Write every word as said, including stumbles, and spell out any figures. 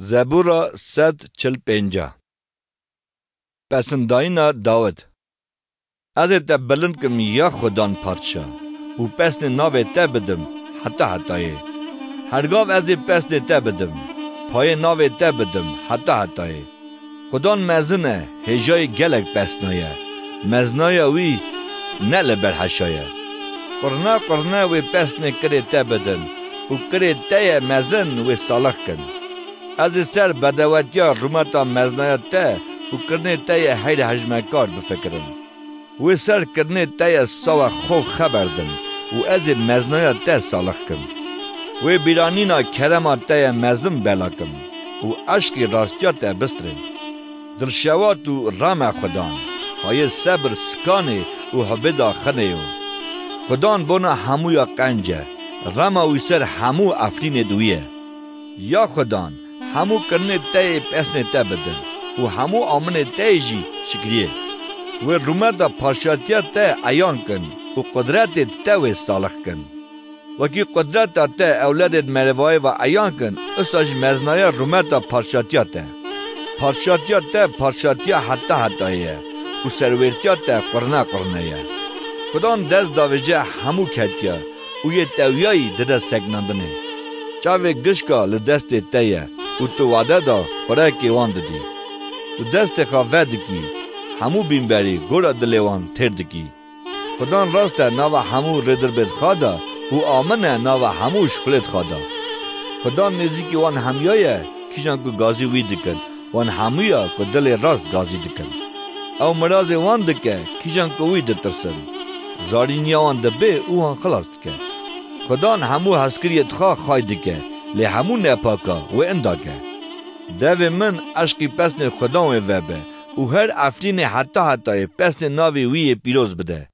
Zebûra sed çil pênc. Pesindayîna Dawid. Ez ê te bilind kim ya Xudan Padşa û pesnê navê te bidim heta hetayê. Hergav ez ê pesnê te bidim, payê navê te bidim heta hetayê. Xudan mezin e, hêjayî gelek pesnaye. Meznaya wî ne li ber heşa ye. Qurna qurne wê pesnê kirê te bidin û kirê te ye mezin wê salix kin. Ez ê ser bedewetiya rûmeta meznaya te û kirinê te yê heyr hejmekar bifikirim. Wê ser kirinê te yê sawa xwe xeber dim û ez ê meznaya te salix kim. Wê bîranîna kerema te yê mezin bela kim û eşqî rastiya te bistirêm. Dilşewat û rame Xudan, hayê sebir sikanê û hubêda xinê yo. Xudan bona hemûya qenc e, rema wî ser hemû efrînê di wî ye. Ya Xudan, hemû kirinê te yê pesnê te bidin û hemû aminê te yê jî şikriyê. Wê rûmeta paşatiya te eyan kin û qudretê te wê salix kin. Wekî qudreta te ewledên merivayê ve eyan kin, usa jî meznaya rûmeta paşatiya te. Paşatiya te paşatiya heta hetayê ye û serwêrtiya te qurne qurne ye. Xudan dest davêje hemû ketiya û yê tewiyayî dide sekinandinê. Çavê gişka li destê te ye û tu wade da xurekê wan didî. Tu destê xwe vedikî, hemû bînberî gora dilê wan têr dikî. Xudan rast e nava hemû rêdirbêd xwe de û amin e nava hemû şixulêd xwe de. Xudan nêzîkî wan hemûya ye, kîjan ku gazî wî dikin, wan hemûya ku dilê rast gazî dikin. Ew mirazê wan dike, kîjan ku wî ditirsin. Zarîniya wan dibê û wan xilas dike. Xudan hemû hezkiriyê dixwe xay dike, lê hemû nepaka wê inda ke. Devê min, eşqî pesnê Xudan wê vebe û her efrînê heta hetayê pesnê navê wî yê pîroz bide.